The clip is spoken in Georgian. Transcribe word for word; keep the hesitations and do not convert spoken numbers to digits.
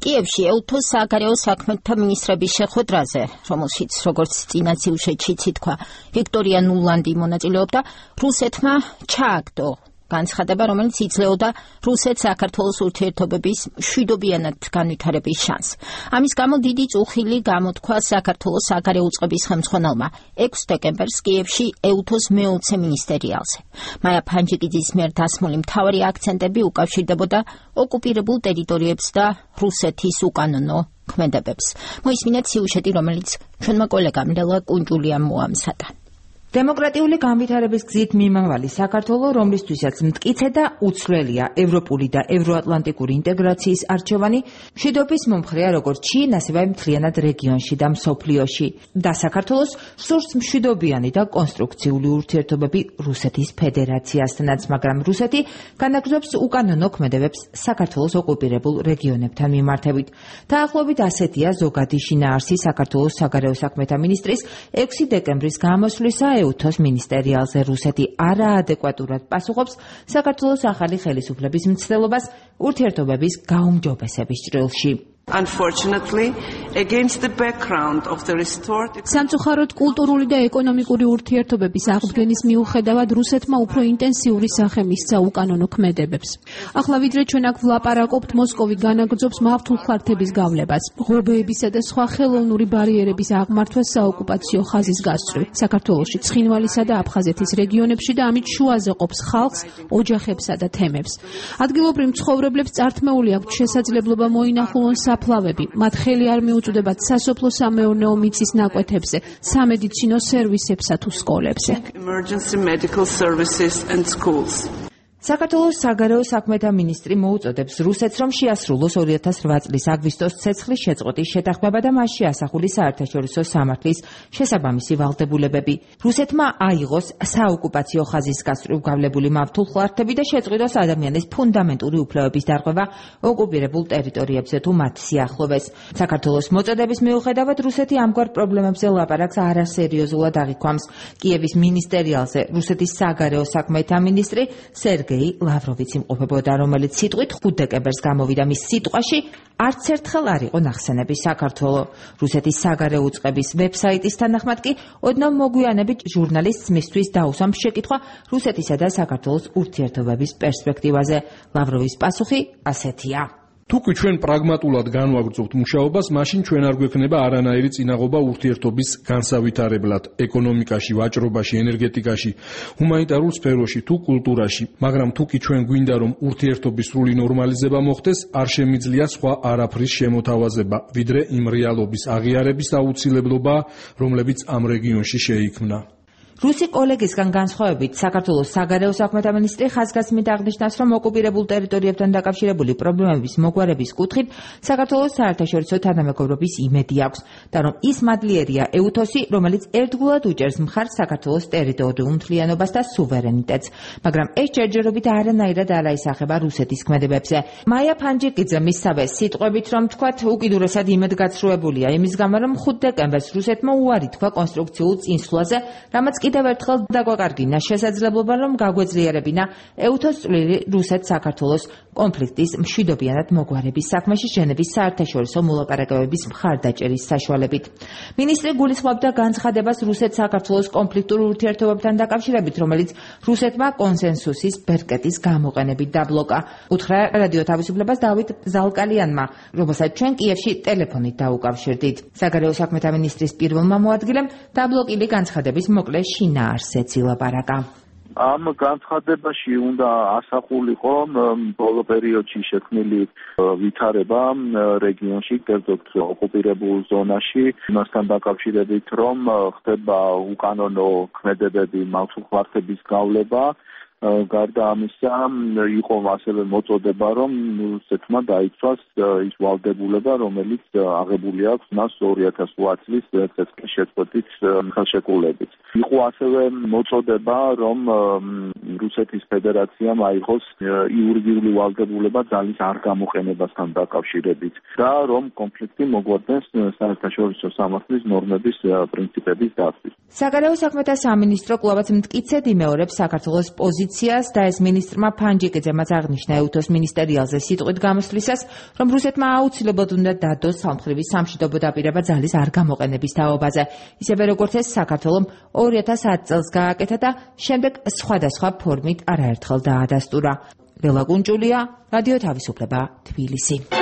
კიევში ეუთოს სააგარეო საქმეთა მინისტრების შეხვედრაზე, რომელშიც როგორც წინა სიუჟეტშიც ითქვა, ვიქტორია ნულანდი მონაწილეობდა, რუსეთმა ჩააგდო განცხადება, რომელიც იძლეოდა რუსეთს საქართველოს ურთიერთობების მშვიდობიანად განვითარების შანსს. ამის გამო დიდი წუხილი გამოთქვა საქართველოს სააგარეო უწყების ხელმძღვანელმა ექვსი დეკემბერს კიევში ეუთოს მეოცე მინისტერიალზე. მაია ფანჯიკიძის მიერ დასმული მთავარი აქცენტები უკავშირდებოდა ოკუპირებულ ტერიტორიებს და რუსეთის უკანონო ქმედებებს. მოისმინეთ სიუჟეტი, რომელიც ჩვენმა კოლეგამ ლელა კუნჯულიამ მოამზადა. დემოკრატიული განვითარების გზით მიმავალი საქართველო, რომლისთვისაც მტკიცე და უცვლელია ევროპული და ევროატლანტიკური ინტეგრაციის არჩევანი, მშვიდობის მომხრეა როგორც ჩინ, ასევე მთლიანად რეგიონში და მსოფლიოში. და საქართველოს სურს მშვიდობიანი და კონსტრუქციული ურთიერთობები რუსეთის ფედერაციასთანაც, მაგრამ რუსეთი განაგრძობს უკანონო ქმედებებს საქართველოს ოკუპირებულ რეგიონებთან მიმართებით. დაახლოებით ასეთია ზოგადი შინაარსი საქართველოს საგარეო საქმეთა მინისტრის ექვსი დეკემბრის გამოსვლისა ეუთოს მინისტერიალზე. რუსეთი არაადეკვატურად პასუხობს საქართველოს ახალი ხელისუფლების მცდელობას ურთიერთობების გაუმჯობესების ჭრილში. Unfortunately, against the background of the restored სამწუხაროდ კულტურული და ეკონომიკური ურთიერთობების აღდგენის მიუხედავად რუსეთმა უფრო ინტენსიური სახე მისცა უკანონო ქმედებებს. ახლა ვიდრე ჩვენ აქ ვლაპარაკობთ, მოსკოვი განაგრძობს მავთულხლართების გავლებას, ღობეებისა და სხვა ხელოვნური ბარიერების აღმართვას საოკუპაციო ხაზის გასწვრივ, საქართველოში, ცხინვალისა და აფხაზეთის რეგიონებში და ამით შუაზე ყოფს ხალხს, ოჯახებსა და თემებს. ადგილობრივ მცხოვრებლებს წართმეული აქვთ შესაძლებლობა მოინახულონ საფლავები, მათ ხელი არ მიუწვდებათ სასოფლო-სამეურნეო მიწის ნაკვეთებზე, სამედიცინო სერვისებსა თუ სკოლებზე. საქართველოს საგარეო საქმეთა მინისტრი მოუწოდებს რუსეთს, რომ შეასრულოს ორი ათას რვა წლის აგვისტოს ცეცხლის შეწყვეტის შეთანხმება და მასში ასახული საერთაშორისო სამართლის შესაბამისი ვალდებულებები. რუსეთმა აიღოს საოკუპაციო ხაზის გასწვრივ გავლებული მავთულხლართები და შეწყვიტოს ადამიანის ფუნდამენტური უფლებების დარღვევა ოკუპირებულ ტერიტორიებზე თუ მათ სიახლოვეს. საქართველოს მოწოდების მიუხედავად რუსეთი ამგვარ პრობლემებზე ლაპარაკს არასერიოზულად აღიქვამს. კიევის მინისტერიალზე რუსეთის საგარეო საქმეთა მინისტრი სერგეი ლავროვიც იმყოფებოდა, რომელიც სიტყვით ხუთი დეკემბერს გამოვიდა მის სიტყვაში არც ერთხელ არ იყო ნახსენები საქართველო. რუსეთის საგარეო უწყების ვებსაიტის თანახმად კი ოდნავ მოგვიანებით ჟურნალისტს მისთვის დაუსვამს შეკითხვა რუსეთისა და საქართველოს ურთიერთობების პერსპექტივაზე. ლავროვის პასუხი ასეთია. Თუკი ჩვენ პრაგმატულად განვაგრძობთ მუშაობას, მაშინ ჩვენ არ გვექნება არანაირი წინაღობა ურთიერთობის განსავითარებლად, ეკონომიკაში, ვაჭრობაში, ენერგეტიკაში, ჰუმანიტარულ სფეროში თუ კულტურაში. მაგრამ თუკი ჩვენ გვინდა რომ ურთიერთობის სრული ნორმალიზება მოხდეს, არ შემიძლია სხვა არაფრის შემოთავაზება, ვიდრე იმ რეალობის აღიარების აუცილებლობა, რომლებიც ამ რეგიონში შეიქმნა. რუსი კოლეგისგან განსხვავებით, საქართველოს საგარეო საქმეთა მინისტრი ხაზგასმით აღნიშნავს, რომ ოკუპირებულ ტერიტორიებთან დაკავშირებული პრობლემების მოგვარების კუთხით საქართველოს საერთაშორისო თანამეგობრობის იმედი აქვს და რომ ის მადლიერია ეუთოსი, რომელიც ერთგულად უჭერს მხარს საქართველოს ტერიტორიულ მთლიანობას და სუვერენიტეტს, მაგრამ ეს ჯერჯერობით არანაირად არ აისახება რუსეთის ქმედებებზე. მაია ფანჯიკიძე მისსავე სიტყვებით, რომ თქვათ, უკიდურესად იმედგაცრუებულია იმის გამო, რომ ხუთი დეკემბერს რუსეთმა უარი თქვა კონსტრუქციულ წინსვლაზე, რამაც კიდევ ერთხელ დაგვაკარგინა შესაძლებლობა, რომ გაგვეძლიერებინა ეუთოს წვლილი რუსეთ-საქართველოს კონფლიქტის მშვიდობიანად მოგვარების საქმეში ჟენევის საერთაშორისო მოლაპარაკებების მხარდაჭერის საშუალებით. მინისტრი გულისხმობდა განცხადებას რუსეთ-საქართველოს კონფლიქტურ ურთიერთობებთან დაკავშირებით, რომელიც რუსეთმა კონსენსუსის ბერკეტის გამოყენებით დაბლოკა. უთხრა რადიო თავისუფლებას დავით ზალკალიანმა, რომელსაც ჩვენ კიევში ტელეფონით დაუკავშირდით. საგარეო საქმეთა მინისტრის პირველმა მოადგილემ დაბლოკილი განცხადების მოკლე შინაარსეც ილაპარაკა. ამ განცხადებაში უნდა ასახულიყო ბოლო პერიოდში შექმნილი ვითარება რეგიონში, კერძოდ ოკუპირებულ ზონაში, იმასთან დაკავშირებით, რომ ხდება უკანონო ქმედებები, მავთულხლართების გავლება. გარდა ამისა, იყო ასევე მოწოდება, რომ რუსეთმა დაიცვას ის ვალდებულება, რომელიც აღებული აქვს მას ორი ათას რვა წლის ცეცხლის შეწყვეტის ხელშეკრულებით. იყო ასევე მოწოდება, რომ რუსეთის ფედერაციამ აიღოს იურიდიული ვალდებულება ძალის არ გამოყენებასთან დაკავშირებით და რომ კონფლიქტი მოგვარდეს საერთაშორისო სამართლის ნორმების პრინციპების დაცვის. საგარეო საქმეთა სამინისტრო კვლავაც მტკიცედ იმეორებს საქართველოს პოზიციას პოზიციას და ეს ministrმა ფანჯიკიძემაც აღნიშნა ეუთოს მინისტერიალზე სიტყვით გამოსვლისას, რომ რუსეთმა აუცილებლად უნდა დადოს სამხედრო სამშვიდობო დაპირება ძალის არ გამოყენების თაობაზე, ისევე როგორც ეს საქართველომ ორი ათას ათი წელს გააკეთა და შემდეგ სხვადასხვა ფორმით არაერთხელ დაადასტურა. ლელა კუნჭულია, რადიო თავისუფლება, თბილისი.